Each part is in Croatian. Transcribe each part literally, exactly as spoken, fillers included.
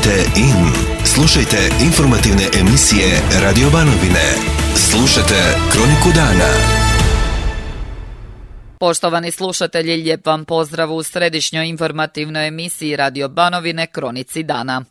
Kliknite in. Slušajte informativne emisije Radio Banovine. Slušajte Kroniku dana. Poštovani slušatelji, lijep vam pozdrav u središnjoj informativnoj emisiji Radio Banovine Kronici dana.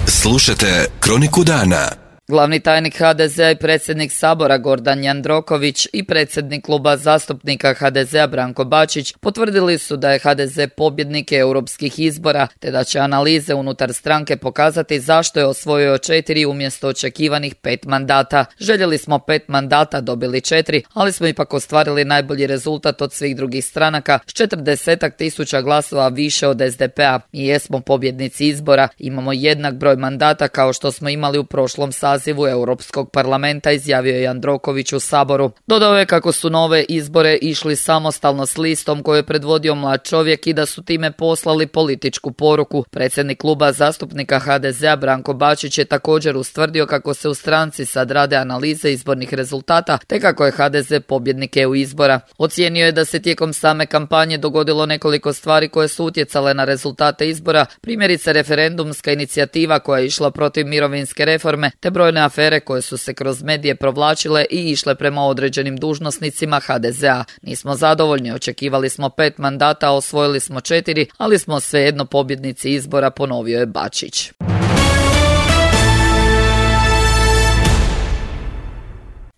Slušajte Kroniku dana. Glavni tajnik ha de zea i predsjednik Sabora Gordan Jandroković i predsjednik kluba zastupnika ha de zea Branko Bačić potvrdili su da je ha de ze pobjednik europskih izbora, te da će analize unutar stranke pokazati zašto je osvojio četiri umjesto očekivanih pet mandata. Željeli smo pet mandata, dobili četiri, ali smo ipak ostvarili najbolji rezultat od svih drugih stranaka s četrdesetak tisuća glasova više od es de pe-a. Mi jesmo pobjednici izbora, imamo jednak broj mandata kao što smo imali u prošlom sazivu Europskog parlamenta, izjavio je Jandroković u Saboru. Dodao je kako su nove izbore išli samostalno s listom koju je predvodio mlad čovjek i da su time poslali političku poruku. Predsjednik kluba zastupnika ha de zea Branko Bačić je također ustvrdio kako se u stranci sad rade analize izbornih rezultata te kako je ha de ze pobjednik e u izbora. Ocijenio je da se tijekom same kampanje dogodilo nekoliko stvari koje su utjecale na rezultate izbora, primjerice referendumska inicijativa koja je išla protiv mirovinske reforme te broj afere koje su se kroz medije provlačile i išle prema određenim dužnosnicima ha de zea. Nismo zadovoljni, očekivali smo pet mandata, osvojili smo četiri, ali smo svejedno pobjednici izbora, ponovio je Bačić.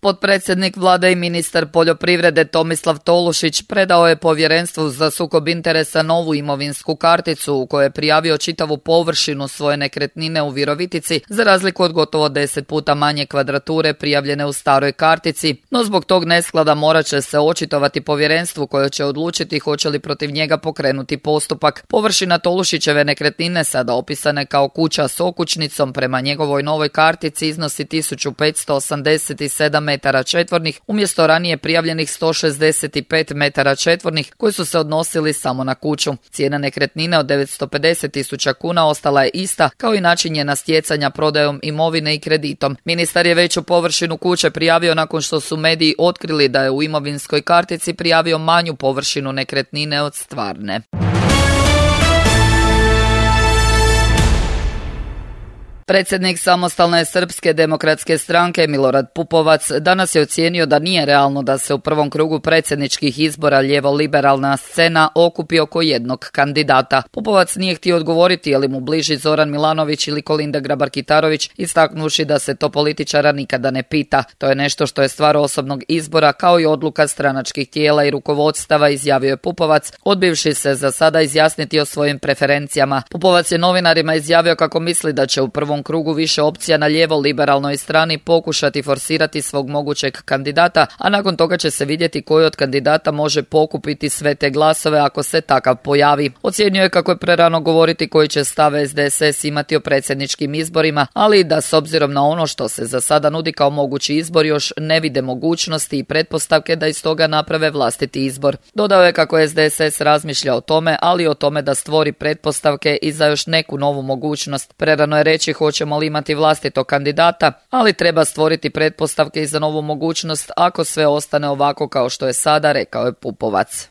Potpredsjednik vlade i ministar poljoprivrede Tomislav Tolušić predao je Povjerenstvu za sukob interesa novu imovinsku karticu u kojoj je prijavio čitavu površinu svoje nekretnine u Virovitici za razliku od gotovo deset puta manje kvadrature prijavljene u staroj kartici, no zbog tog nesklada morat će se očitovati povjerenstvu koje će odlučiti hoće li protiv njega pokrenuti postupak. Površina Tolušićeve nekretnine, sada opisane kao kuća s okućnicom, prema njegovoj novoj kartici iznosi tisuću petsto osamdeset sedam metara četvornih umjesto ranije prijavljenih sto šezdeset pet metara četvornih koji su se odnosili samo na kuću. Cijena nekretnine od devetsto pedeset tisuća kuna ostala je ista kao i način njena stjecanja prodajom imovine i kreditom. Ministar je veću površinu kuće prijavio nakon što su mediji otkrili da je u imovinskoj kartici prijavio manju površinu nekretnine od stvarne. Predsjednik Samostalne srpske demokratske stranke Milorad Pupovac danas je ocijenio da nije realno da se u prvom krugu predsjedničkih izbora lijevo-liberalna scena okupi oko jednog kandidata. Pupovac nije htio odgovoriti je li mu bliži Zoran Milanović ili Kolinda Grabar-Kitarović, istaknuši da se to političara nikada ne pita. To je nešto što je stvar osobnog izbora kao i odluka stranačkih tijela i rukovodstava, izjavio je Pupovac, odbivši se za sada izjasniti o svojim preferencijama. Pupovac je novinarima izjavio kako misli da će u prvom krugu više opcija na lijevo-liberalnoj strani pokušati forsirati svog mogućeg kandidata, a nakon toga će se vidjeti koji od kandidata može pokupiti sve te glasove ako se takav pojavi. Ocijenio je kako je prerano govoriti koji će stav es de es es imati o predsjedničkim izborima, ali i da s obzirom na ono što se za sada nudi kao mogući izbor još ne vide mogućnosti i pretpostavke da iz toga naprave vlastiti izbor. Dodao je kako es de es es razmišlja o tome, ali o tome da stvori pretpostavke i za još neku novu mogućnost. Prerano je reći hoćemo li imati vlastitog kandidata, ali treba stvoriti pretpostavke i za novu mogućnost ako sve ostane ovako kao što je sada, rekao je Pupovac.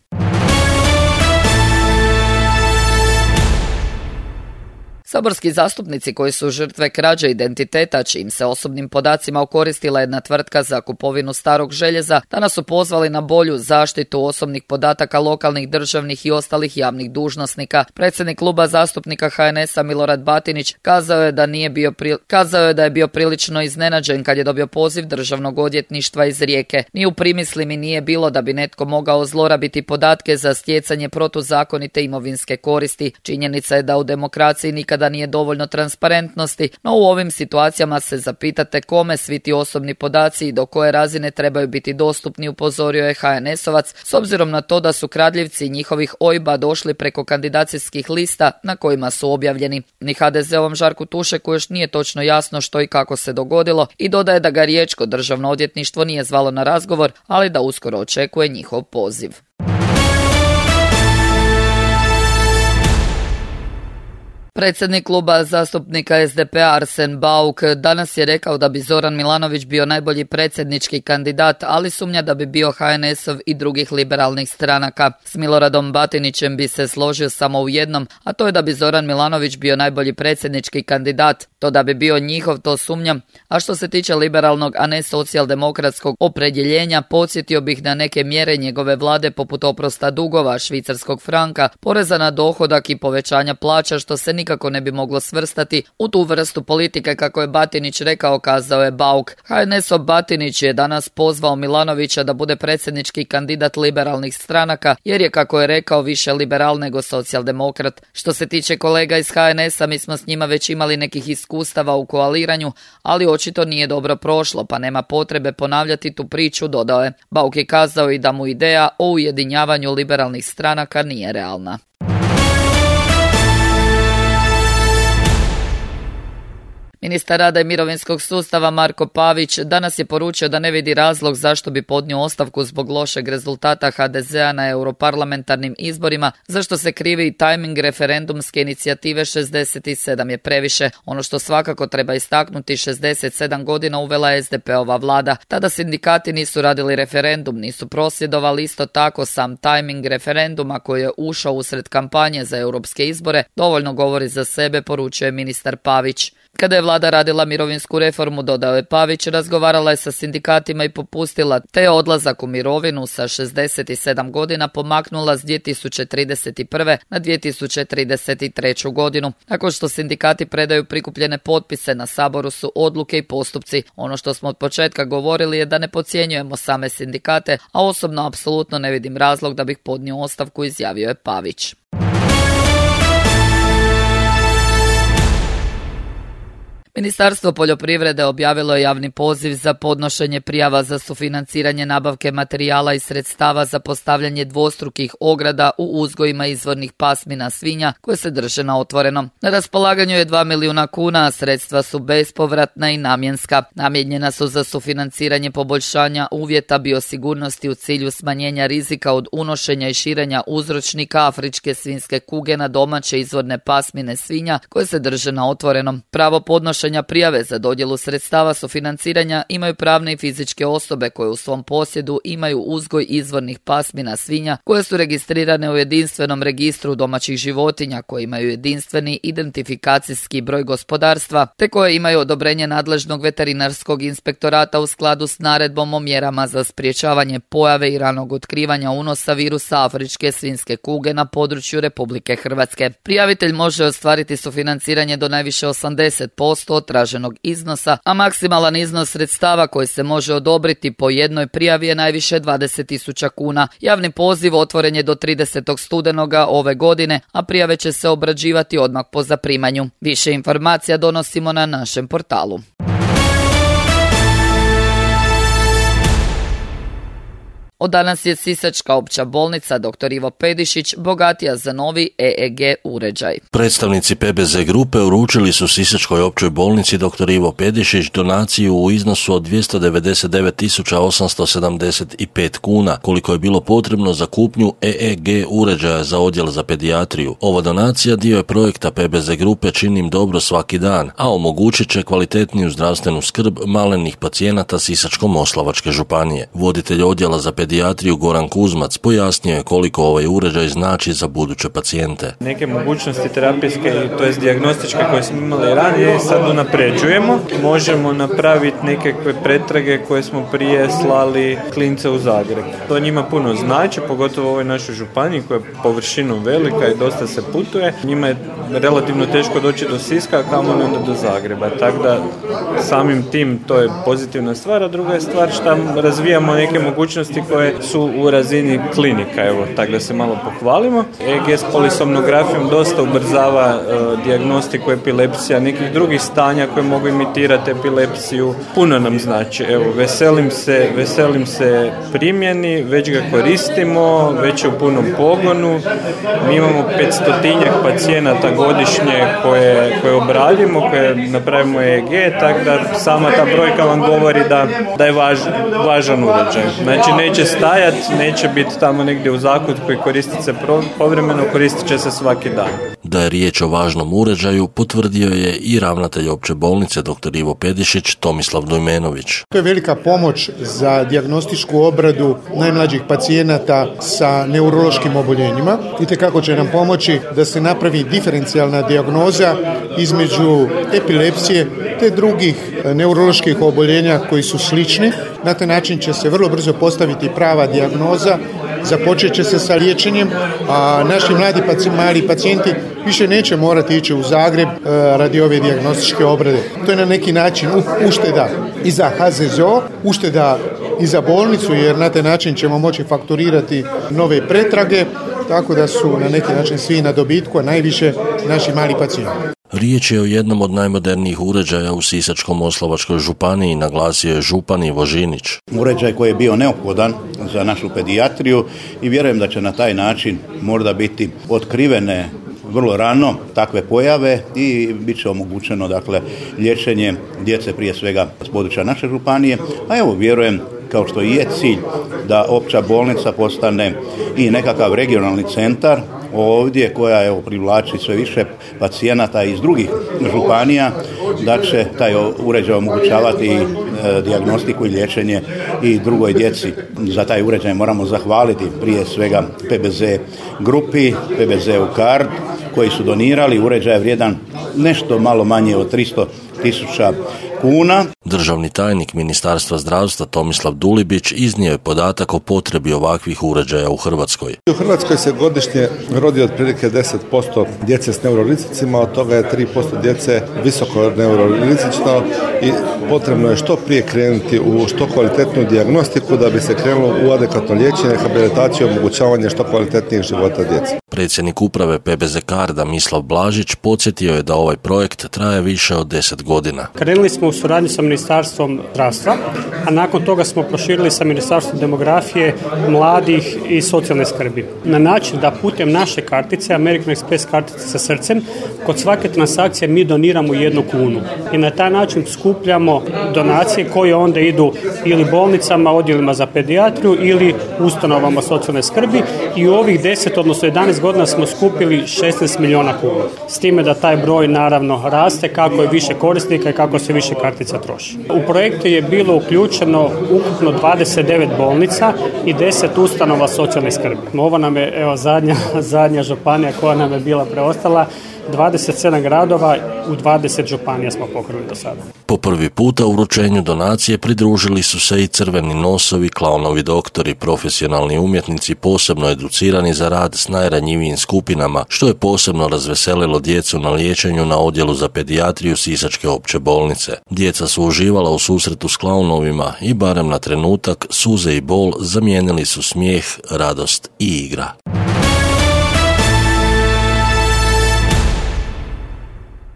Saborski zastupnici koji su žrtve krađe identiteta, čijim se osobnim podacima okoristila jedna tvrtka za kupovinu starog željeza, danas su pozvali na bolju zaštitu osobnih podataka lokalnih, državnih i ostalih javnih dužnosnika. Predsjednik kluba zastupnika ha en es-a Milorad Batinić kazao je da nije bio pri... kazao je da je bio prilično iznenađen kad je dobio poziv Državnog odvjetništva iz Rijeke. Ni u primisli mi nije bilo da bi netko mogao zlorabiti podatke za stjecanje protuzakonite imovinske koristi. Činjenica je da u demokraciji nikada da nije dovoljno transparentnosti, no u ovim situacijama se zapitate kome svi ti osobni podaci i do koje razine trebaju biti dostupni, upozorio je ha en es-ovac, s obzirom na to da su kradljivci njihovih o i be-a došli preko kandidacijskih lista na kojima su objavljeni. Ni ha de ze-ovom Žarku Tušeku još nije točno jasno što i kako se dogodilo i dodaje da ga riječko državno odvjetništvo nije zvalo na razgovor, ali da uskoro očekuje njihov poziv. Predsjednik kluba zastupnika es de pe Arsen Bauk danas je rekao da bi Zoran Milanović bio najbolji predsjednički kandidat, ali sumnja da bi bio ha en esov i drugih liberalnih stranaka. S Miloradom Batinićem bi se složio samo u jednom, a to je da bi Zoran Milanović bio najbolji predsjednički kandidat. To da bi bio njihov, to sumnjam. A što se tiče liberalnog, a ne socijaldemokratskog opredjeljenja, podsjetio bih na neke mjere njegove vlade poput oprosta dugova, švicarskog franka, poreza na dohodak i povećanja plaća, što se nikako ne bi moglo svrstati u tu vrstu politike, kako je Batinić rekao, kazao je Bauk. ha en esov Batinić je danas pozvao Milanovića da bude predsjednički kandidat liberalnih stranaka, jer je, kako je rekao, više liberal nego socijaldemokrat. Što se tiče kolega iz ha en esa, mi smo s njima već imali nekih iskustava u koaliranju, ali očito nije dobro prošlo, pa nema potrebe ponavljati tu priču, dodao je. Bauk je kazao i da mu ideja o ujedinjavanju liberalnih stranaka nije realna. Ministar rada i mirovinskog sustava Marko Pavić danas je poručio da ne vidi razlog zašto bi podnio ostavku zbog lošeg rezultata ha de zea na europarlamentarnim izborima, zašto se krivi i tajming referendumske inicijative šezdeset sedam je previše. Ono što svakako treba istaknuti, šezdeset sedam godina uvela es de pe-ova vlada. Tada sindikati nisu radili referendum, nisu prosvjedovali, isto tako sam tajming referenduma koji je ušao usred kampanje za europske izbore dovoljno govori za sebe, poručuje ministar Pavić. Kada je vlada radila mirovinsku reformu, dodao je Pavić, razgovarala je sa sindikatima i popustila, te je odlazak u mirovinu sa šezdeset sedam godina pomaknula s dvije tisuće trideset prve na dvije tisuće trideset treću godinu. Nakon što sindikati predaju prikupljene potpise, na Saboru su odluke i postupci. Ono što smo od početka govorili je da ne podcjenjujemo same sindikate, a osobno apsolutno ne vidim razlog da bih podnio ostavku, izjavio je Pavić. Ministarstvo poljoprivrede objavilo je javni poziv za podnošenje prijava za sufinanciranje nabavke materijala i sredstava za postavljanje dvostrukih ograda u uzgojima izvornih pasmina svinja koje se drže na otvorenom. Na raspolaganju je dva milijuna kuna, a sredstva su bespovratna i namjenska. Namijenjena su za sufinanciranje poboljšanja uvjeta biosigurnosti u cilju smanjenja rizika od unošenja i širenja uzročnika afričke svinjske kuge na domaće izvorne pasmine svinja koje se drže na otvorenom. Pravo podnošenja prijave za dodjelu sredstava sufinanciranja imaju pravne i fizičke osobe koje u svom posjedu imaju uzgoj izvornih pasmina svinja koje su registrirane u jedinstvenom registru domaćih životinja, koje imaju jedinstveni identifikacijski broj gospodarstva, te koje imaju odobrenje nadležnog veterinarskog inspektorata u skladu s naredbom o mjerama za sprječavanje pojave i ranog otkrivanja unosa virusa afričke svinjske kuge na području Republike Hrvatske. Prijavitelj može ostvariti sufinanciranje do najviše osamdeset posto od traženog iznosa, a maksimalan iznos sredstava koji se može odobriti po jednoj prijavi je najviše dvadeset tisuća kuna. Javni poziv otvoren je do tridesetog studenoga ove godine, a prijave će se obrađivati odmah po zaprimanju. Više informacija donosimo na našem portalu. Od danas je Sisačka opća bolnica doktor Ivo Pedišić bogatija za novi e e ge uređaj. Predstavnici pe be ze grupe uručili su Sisačkoj općoj bolnici doktor Ivo Pedišić donaciju u iznosu od dvjesto devedeset devet tisuća osamsto sedamdeset pet kuna, koliko je bilo potrebno za kupnju e e ge uređaja za odjel za pedijatriju. Ova donacija dio je projekta pe be ze grupe Činim dobro svaki dan, a omogućit će kvalitetniju zdravstvenu skrb malenih pacijenata Sisačko-moslavačke županije. Voditelj odjela za pedijatriju pedijatriju Goran Kuzmac pojasnio je koliko ovaj uređaj znači za buduće pacijente. Neke mogućnosti terapijske, to jest dijagnostičke koje smo imali ranije, sad unapređujemo. Možemo napraviti nekakve pretrage koje smo prije slali klince u Zagreb. To njima puno znači, pogotovo u ovoj našoj županiji koja je površinom velika i dosta se putuje. Njima je relativno teško doći do Siska, a kamoli onda do Zagreba. Tako da samim tim to je pozitivna stvar, a druga je stvar što razvijamo neke mogućnosti koje su u razini klinika, evo, tako da se malo pohvalimo. e e ge s polisomnografijom dosta ubrzava uh, dijagnostiku epilepsija, nekih drugih stanja koje mogu imitirati epilepsiju. Puno nam znači, evo, veselim se, veselim se primjeni, već ga koristimo, već je u punom pogonu. Mi imamo petstotinjak pacijenata godišnje koje, koje obradimo, koje napravimo e e ge, tako da sama ta brojka vam govori da, da je važ, važan uređaj. Znači, neće stajati, neće biti tamo negdje u zakutku i koristiti se povremeno, koristit će se svaki dan. Da je riječ o važnom uređaju potvrdio je i ravnatelj opće bolnice dr. Ivo Pedišić Tomislav Dujmenović. To je velika pomoć za dijagnostičku obradu najmlađih pacijenata sa neurološkim oboljenjima. Itekako će nam pomoći da se napravi diferencijalna dijagnoza između epilepsije te drugih neuroloških oboljenja koji su slični. Na taj način će se vrlo brzo postaviti prava dijagnoza, započet će se sa liječenjem, a naši mladi mali pacijenti više neće morati ići u Zagreb radi ove dijagnostičke obrade. To je na neki način ušteda i za H Z Z O, ušteda i za bolnicu, jer na taj način ćemo moći fakturirati nove pretrage, tako da su na neki način svi na dobitku, a najviše naši mali pacijenti. Riječ je o jednom od najmodernijih uređaja u Sisačko-moslavačkoj županiji, naglasio je župan Ivo Žinić. Uređaj koji je bio neophodan za našu pedijatriju i vjerujem da će na taj način možda biti otkrivene vrlo rano takve pojave i bit će omogućeno dakle liječenje djece prije svega s područja naše županije, a evo vjerujem kao što i je cilj da opća bolnica postane i nekakav regionalni centar ovdje koja evo privlači sve više pacijenata iz drugih županija, da će taj uređaj omogućavati e, dijagnostiku i liječenje i drugoj djeci. Za taj uređaj moramo zahvaliti prije svega P B Z grupi, P B Z-u Card, koji su donirali uređaj vrijedan nešto malo manje od tristo tisuća kuna. Državni tajnik Ministarstva zdravstva Tomislav Dulibić iznio je podatak o potrebi ovakvih uređaja u Hrvatskoj. U Hrvatskoj se godišnje rodi otprilike deset posto djece s neurorizičima, od toga je tri posto djece visoko neurorizično i potrebno je što prije krenuti u što kvalitetnu dijagnostiku da bi se krenulo u adekvatno liječenje, rehabilitaciju i omogućavanje što kvalitetnijih života djece. Predsjednik uprave P B Z Carda Mislav Blažić podsjetio je da ovaj projekt traje više od deset godina. Krenuli smo u suradnji sa Ministarstvom zdravstva, a nakon toga smo proširili sa Ministarstvom demografije, mladih i socijalne skrbi. Na način da putem naše kartice, American Express kartice sa srcem, kod svake transakcije mi doniramo jednu kunu. I na taj način skupljamo donacije koje onda idu ili bolnicama, odjelima za pedijatriju ili ustanovama socijalne skrbi i u ovih deset, odnosno jedanaest godina smo skupili šesnaest milijuna kuna. S time da taj broj naravno raste kako je više korisnika i kako se više kartica troši. U projektu je bilo uključeno ukupno dvadeset devet bolnica i deset ustanova socijalne skrbi. Ovo nam je evo, zadnja, zadnja županija koja nam je bila preostala. dvadeset sedam gradova u dvadeset županija smo pokrili do sada. Po prvi puta u uručenju donacije pridružili su se i crveni nosovi, klaunovi doktori, profesionalni umjetnici posebno educirani za rad s najranjivijim skupinama, što je posebno razveselilo djecu na liječenju na odjelu za pedijatriju Sisačke opće bolnice. Djeca su uživala u susretu s klaunovima i barem na trenutak suze i bol zamijenili su smijeh, radost i igra.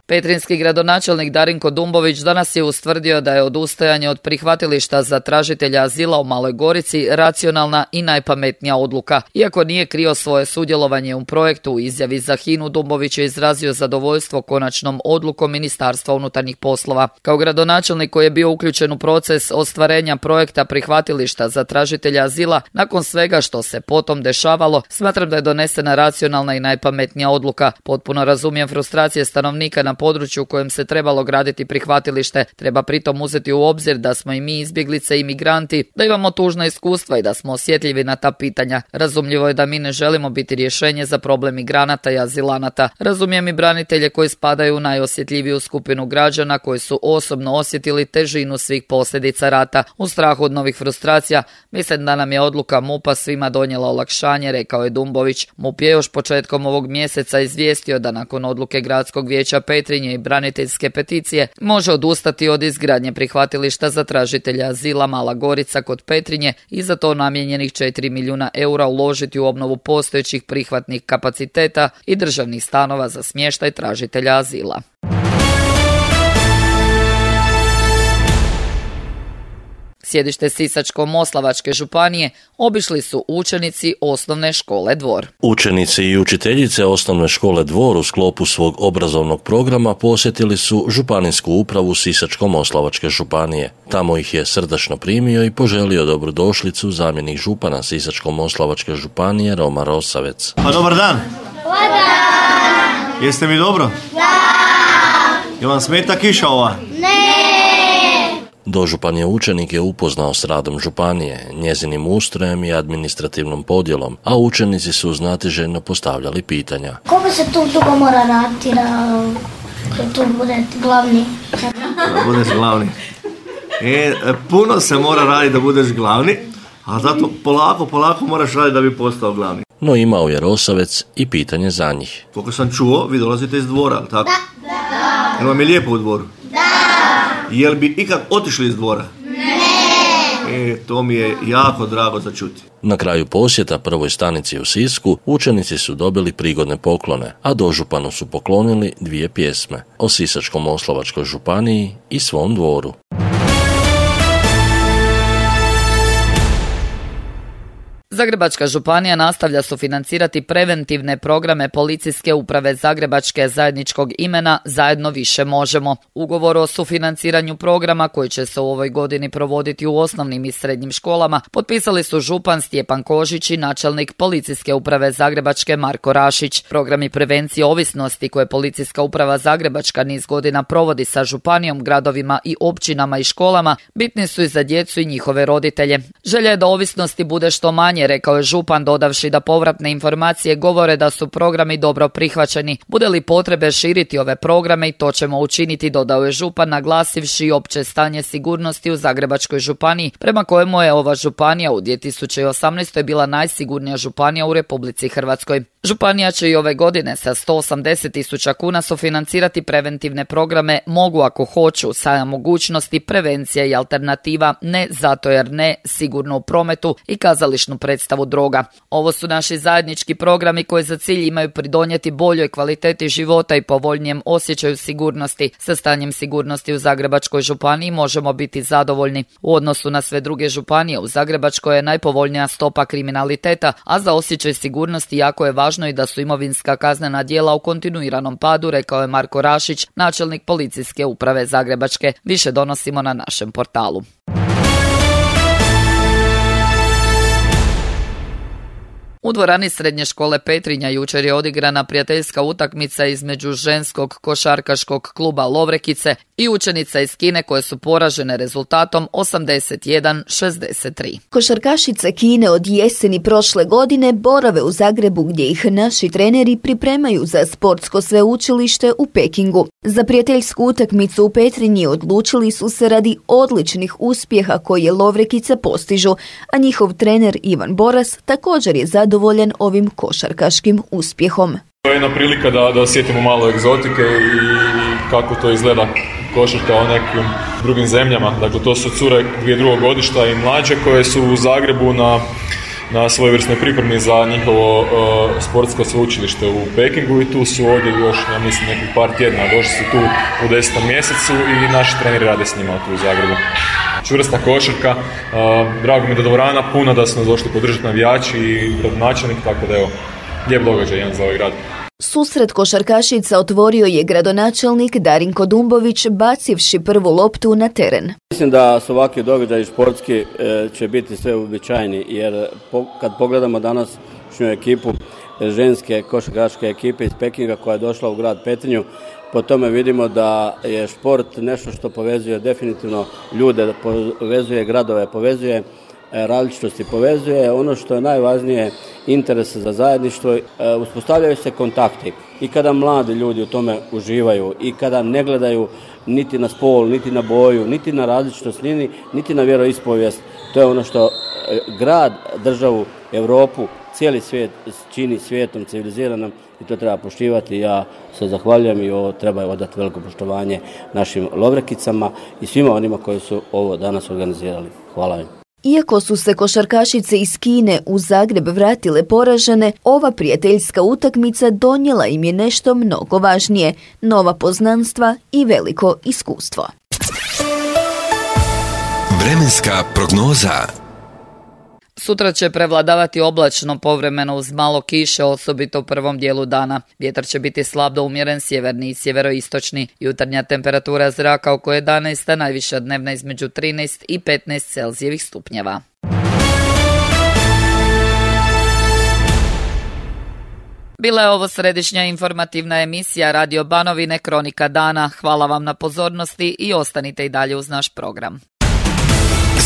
Petrinjski gradonačelnik Darinko Dumbović danas je ustvrdio da je odustajanje od prihvatilišta za tražitelja azila u Maloj Gorici racionalna i najpametnija odluka. Iako nije krio svoje sudjelovanje u projektu, u izjavi za Hinu Dumbović je izrazio zadovoljstvo konačnom odlukom Ministarstva unutarnjih poslova. Kao gradonačelnik koji je bio uključen u proces ostvarenja projekta prihvatilišta za tražitelja azila, nakon svega što se potom dešavalo, smatram da je donesena racionalna i najpametnija odluka. Potpuno razumijem frustracije stanovnika na području u kojem se trebalo graditi prihvatilište. Treba pritom uzeti u obzir da smo i mi izbjeglice i migranti, da imamo tužna iskustva i da smo osjetljivi na ta pitanja. Razumljivo je da mi ne želimo biti rješenje za problem migranata i azilanata. Razumijem i branitelje koji spadaju u najosjetljiviju skupinu građana koji su osobno osjetili težinu svih posljedica rata. U strahu od novih frustracija, mislim da nam je odluka M U P-a svima donijela olakšanje, rekao je Dumbović. M U P je još početkom ovog mjeseca izvijestio da nakon odluke Gradskog vijeća Petrinje i braniteljske peticije može odustati od izgradnje prihvatilišta za tražitelja azila Mala Gorica kod Petrinje i za to namijenjenih četiri milijuna eura uložiti u obnovu postojećih prihvatnih kapaciteta i državnih stanova za smještaj tražitelja azila. Sjedište Sisačko-moslavačke županije obišli su učenici osnovne škole Dvor. Učenici i učiteljice osnovne škole Dvor u sklopu svog obrazovnog programa posjetili su županijsku upravu Sisačko-moslavačke županije. Tamo ih je srdačno primio i poželio dobrodošlicu zamjenik župana Sisačko-moslavačke županije Roma Rosavec. Pa dobar dan! Dobar dan! Jeste mi dobro? Da! Je vam smeta kiša ova? Dožupan je učenike upoznao s radom županije, njezinim ustrojem i administrativnom podjelom, a učenici su znatiželjno postavljali pitanja. Koliko se tu dugo mora raditi da tu bude glavni? Da budeš glavni. E, puno se mora raditi da budeš glavni, a zato polako, polako moraš raditi da bi postao glavni. No imao je Rosavec i pitanje za njih. Koliko sam čuo, vi dolazite iz dvora, ali tako? Da. Da. Jel vam je lijepo u dvoru? Da. Jel bi ikad otišli iz dvora? Ne. E, to mi je jako drago za čuti. Na kraju posjeta prvoj stanici u Sisku, učenici su dobili prigodne poklone, a dožupanu su poklonili dvije pjesme o Sisačko-moslavačkoj županiji i svom dvoru. Zagrebačka županija nastavlja sufinancirati preventivne programe Policijske uprave Zagrebačke zajedničkog imena Zajedno više možemo. Ugovor o sufinanciranju programa koji će se u ovoj godini provoditi u osnovnim i srednjim školama potpisali su župan Stjepan Kožić i načelnik Policijske uprave Zagrebačke Marko Rašić. Programi prevencije ovisnosti koje Policijska uprava Zagrebačka niz godina provodi sa županijom, gradovima i općinama i školama bitni su i za djecu i njihove roditelje. Želja je da ovisnosti bude što manje, rekao je župan, dodavši da povratne informacije govore da su programi dobro prihvaćeni. Bude li potrebe širiti ove programe i to ćemo učiniti, dodao je župan, naglasivši opće stanje sigurnosti u Zagrebačkoj županiji, prema kojemu je ova županija u dvije tisuće osamnaestoj bila najsigurnija županija u Republici Hrvatskoj. Županija će i ove godine sa sto osamdeset tisuća kuna sufinancirati preventivne programe Mogu ako hoću, sa mogućnosti prevencija i alternativa Ne zato jer ne, sigurno u prometu i kazališnu predstavu droga. Ovo su naši zajednički programi koji za cilj imaju pridonijeti boljoj kvaliteti života i povoljnijem osjećaju sigurnosti. Sa stanjem sigurnosti u Zagrebačkoj županiji možemo biti zadovoljni. U odnosu na sve druge županije u Zagrebačkoj je najpovoljnija stopa kriminaliteta, a za osjećaj sigurnosti jako je važno i da su imovinska kaznena djela u kontinuiranom padu, rekao je Marko Rašić, načelnik Policijske uprave Zagrebačke. Više donosimo na našem portalu. U dvorani Srednje škole Petrinja jučer je odigrana prijateljska utakmica između ženskog košarkaškog kluba Lovrekice i učenica iz Kine koje su poražene rezultatom osamdeset jedan šezdeset tri. Košarkašice Kine od jeseni prošle godine borave u Zagrebu gdje ih naši treneri pripremaju za sportsko sveučilište u Pekingu. Za prijateljsku utakmicu u Petrinji odlučili su se radi odličnih uspjeha koje Lovrekice postižu, a njihov trener Ivan Boras također je zadovoljan ovim košarkaškim uspjehom. To je jedna prilika da, da osjetimo malo egzotike i kako to izgleda košarka u nekim drugim zemljama. Dakle, to su cure dvije drugog godišta i mlađe koje su u Zagrebu na, na svojevrsnoj pripremi za njihovo uh, sportsko sveučilište u Pekingu i tu su ovdje još, ja mislim, nekih par tjedna. Došli su tu u desetom mjesecu i naši treneri rade s njima tu u Zagrebu. Čvrsta košarka, uh, drago mi da dvorana puna, da su nas došli podržati navijači i gradonačelnik, tako da evo, lijep događaj jedan za ovaj grad. Susret košarkašica otvorio je gradonačelnik Darinko Dumbović bacivši prvu loptu na teren. Mislim da su ovakvi događaji sportski e, će biti sve uobičajeni, jer po, kad pogledamo današnju ekipu ženske košarkaške ekipe iz Pekinga koja je došla u grad Petrinju, po tome vidimo da je sport nešto što povezuje definitivno ljude, povezuje gradove, povezuje različitosti, povezuje ono što je najvažnije, interes za zajedništvo. Uspostavljaju se kontakti i kada mladi ljudi u tome uživaju i kada ne gledaju niti na spol, niti na boju, niti na različitost, niti na vjeroispovijest. To je ono što grad, državu, Europu, cijeli svijet čini svijetom civiliziranom i to treba poštivati. Ja se zahvaljujem i ovo treba odati veliko poštovanje našim Lovrekicama i svima onima koji su ovo danas organizirali. Hvala im. Iako su se košarkašice iz Kine u Zagreb vratile poražene, ova prijateljska utakmica donijela im je nešto mnogo važnije, nova poznanstva i veliko iskustvo. Vremenska prognoza. Sutra će prevladavati oblačno povremeno uz malo kiše, osobito u prvom dijelu dana. Vjetar će biti slab do umjeren sjeverni i sjeveroistočni. Jutarnja temperatura zraka oko jedanaest, a najviša dnevna između trinaest i petnaest Celzijevih stupnjeva. Bila je ovo središnja informativna emisija Radio Banovine Kronika dana. Hvala vam na pozornosti i ostanite i dalje uz naš program.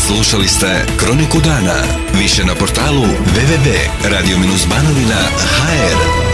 Slušali ste Kroniku dana. Više na portalu w w w tačka radio banovina tačka h r.